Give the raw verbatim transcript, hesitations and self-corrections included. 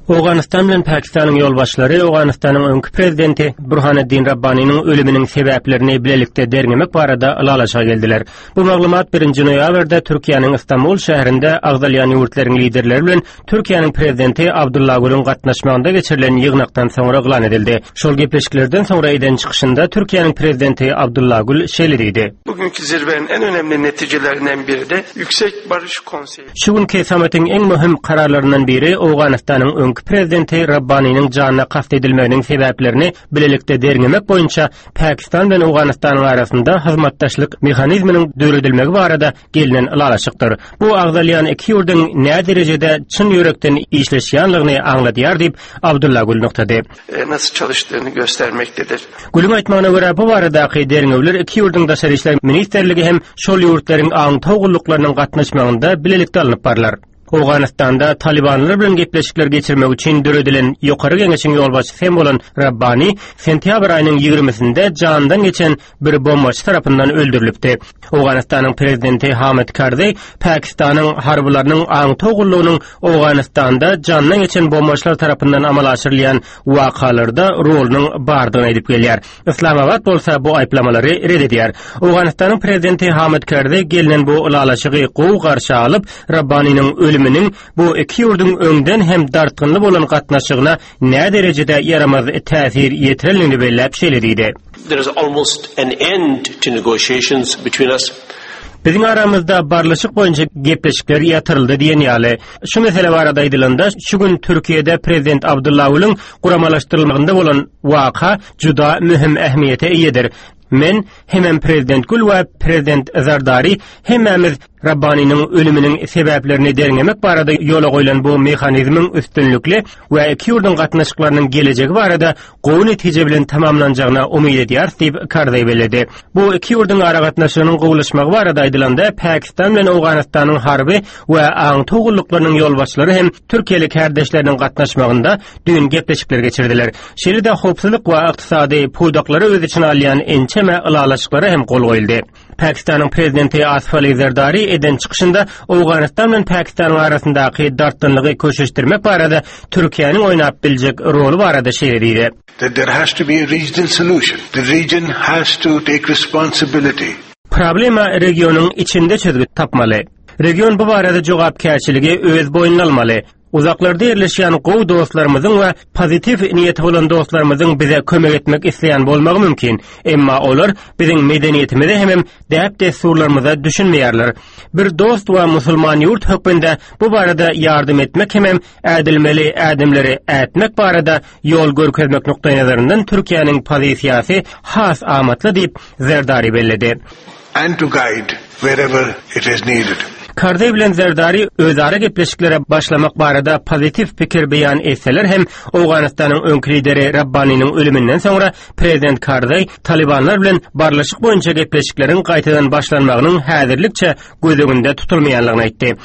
Owganystan bilen Pakistanyň ýolbaşçylary Owganystanyň öňki prezidenti Burhaneddin Rabbanynyň ölüminiň sebäplerini bilelikde derňemek barada ylalaşyga geldiler. Bu maglumat birinji noýabrda Türkiýäniň Istanbul şäherinde agzalýan ýurtlaryň liderleri bilen Türkiýäniň prezidenti Abdullah Gülüň gatnaşmagynda geçirilen ýygnakdan soňra yglan edildi. Şol gepleşiklerden soňra eden çykyşynda Türkiýäniň prezidenti Abdullah Gül şeýle diýdi. Bugünkü zirvenin en önemli neticelerinden biri de Yüksek Barış Konseyi. Şu günki sammitiň iň möhüm kararlaryndan biri Owganystanyň öňki prezidenti Rabbanynyň janyna kast edilmeginiň sebäplerini bilelikde derňemek boýunça Pakistan bilen Owganystanyň arasynda hyzmatdaşlyk mehanizminiň döredilmegi barada gelinen ylalaşykdyr. Bu agzalýan iki ýurduň nä derejede çyn ýürekden işleşýänligini aňladýar diýip Abdullah Gül nygtady. E, nasıl çalıştığını göstermektedir. Gülüň aýtmagyna görä bu baradaky derňewler iki ýurduň daşary işler ministrligi hem şol ýurtlaryň aňtaw gulluklarynyň gatnaşmagynda bilelikde alnyp barylar. Owganystanda Talibanlar bilen gepleşikler geçirmek üçin döredilen ýokary geňeşiň ýolbaşçysy hem bolan Rabbani sentýabr aýynyň ýigrimisinde jandan geçen bir bombaçy tarapyndan öldürilipdi. Owganystanyň prezidenti Hamid Karzai Pakistanyň harbylarynyň aňtaw gullugynyň Owganystanda jandan geçen bombaçylar tarapyndan amala aşyrylýan wakalarda rolunyň bardygyny aýdyp gelýär. Islamabad bolsa bu aýyplamalary red edýär. Owganystanyň prezidenti Hamid Karzai gelinen bu ylalaşygy gowy garşy alyp, Rabbanynyň ölüminiň bu iki ýurduň öňden hem dartgynly bolan gatnaşygyna nä derejede ýaramaz täsir ýetirenligini belläp şeýle diýdi. There is almost an end to negotiations between us. Biziň aramyzda barlyşyk boýunça gepleşikler ýatyryldy diýen ýaly. Şu mesele barada aýdylanda, şu gün Türkiýede prezident Abdullah Gülüň guramalaşdyrylmagynda bolan waka juda möhüm ähmiýete eýedir. Men hemem prezident Gül we prezident Zardari hemmämiz Rabbanynyň ölüminiň sebäplerini derňemek barada ýola goýlan bu mehanizmiň üstünlikli we iki ýurduň gatnaşyklarynyň gelejegi barada gowy netije bilen tamamlanjagyna umyt edýäris diýip Karzai belledi. Bu iki ýurduň aragatnaşygynyň gowulaşmagy barada aýdylanda Pakistan bilen Owganystanyň harby we aňtaw gulluklarynyň ýolbaşçylary hem Türkiýeli kärdeşleriniň gatnaşmagynda düýn gepleşikler geçirdiler. Şeýle-de howpsuzlyk we ykdysady pudaklary öz içine alýan ençeme ylalaşyklara hem gol goýuldy. Pakistanyň prezidenti Asif Ali Zerdari eden çykyşynda Owganystan bilen Pakistanyň arasyndaky dartgynlygy köşeşdirmek barada Türkiýäniň oýnap biljek roly barada şeýle diýdi. That there has to be a regional solution. The region has to take responsibility. Problema regionyň içinde çözgüt tapmaly. Region bu barada jogapkärçiligi öz boýnuna almaly. Uzaklarda ýerleşýän gowy dostlarymyzyň we pozitiw niýeti bolan dostlarymyzyň bize kömek etmek isleýän bolmagy mümkin. Emma olar biziň medeniýetimize hemem däp-dessurlarymyza düşünmeýärler. Bir dost we musulman ýurt hökmünde bu barada ýardam etmek hemem ädilmeli ädimleri ätmek barada ýol görkezmek nukdaýnazaryndan Türkiýäniň pozisiýasy has amatly diýip Zerdari belledi. And to guide wherever it is needed. Karzai bilen Zerdari özara gepleşiklere başlamak barada pozitiw pikir beýan etseler hem Owganystanyň öňki lideri Rabbanynyň ölüminden soňra prezident Karzai Talibanlar bilen barlyşyk boýunça gepleşikleriň gaýtadan başlanmagynyň häzirlikçe göz öňünde tutulmaýanlygyny aýtdy.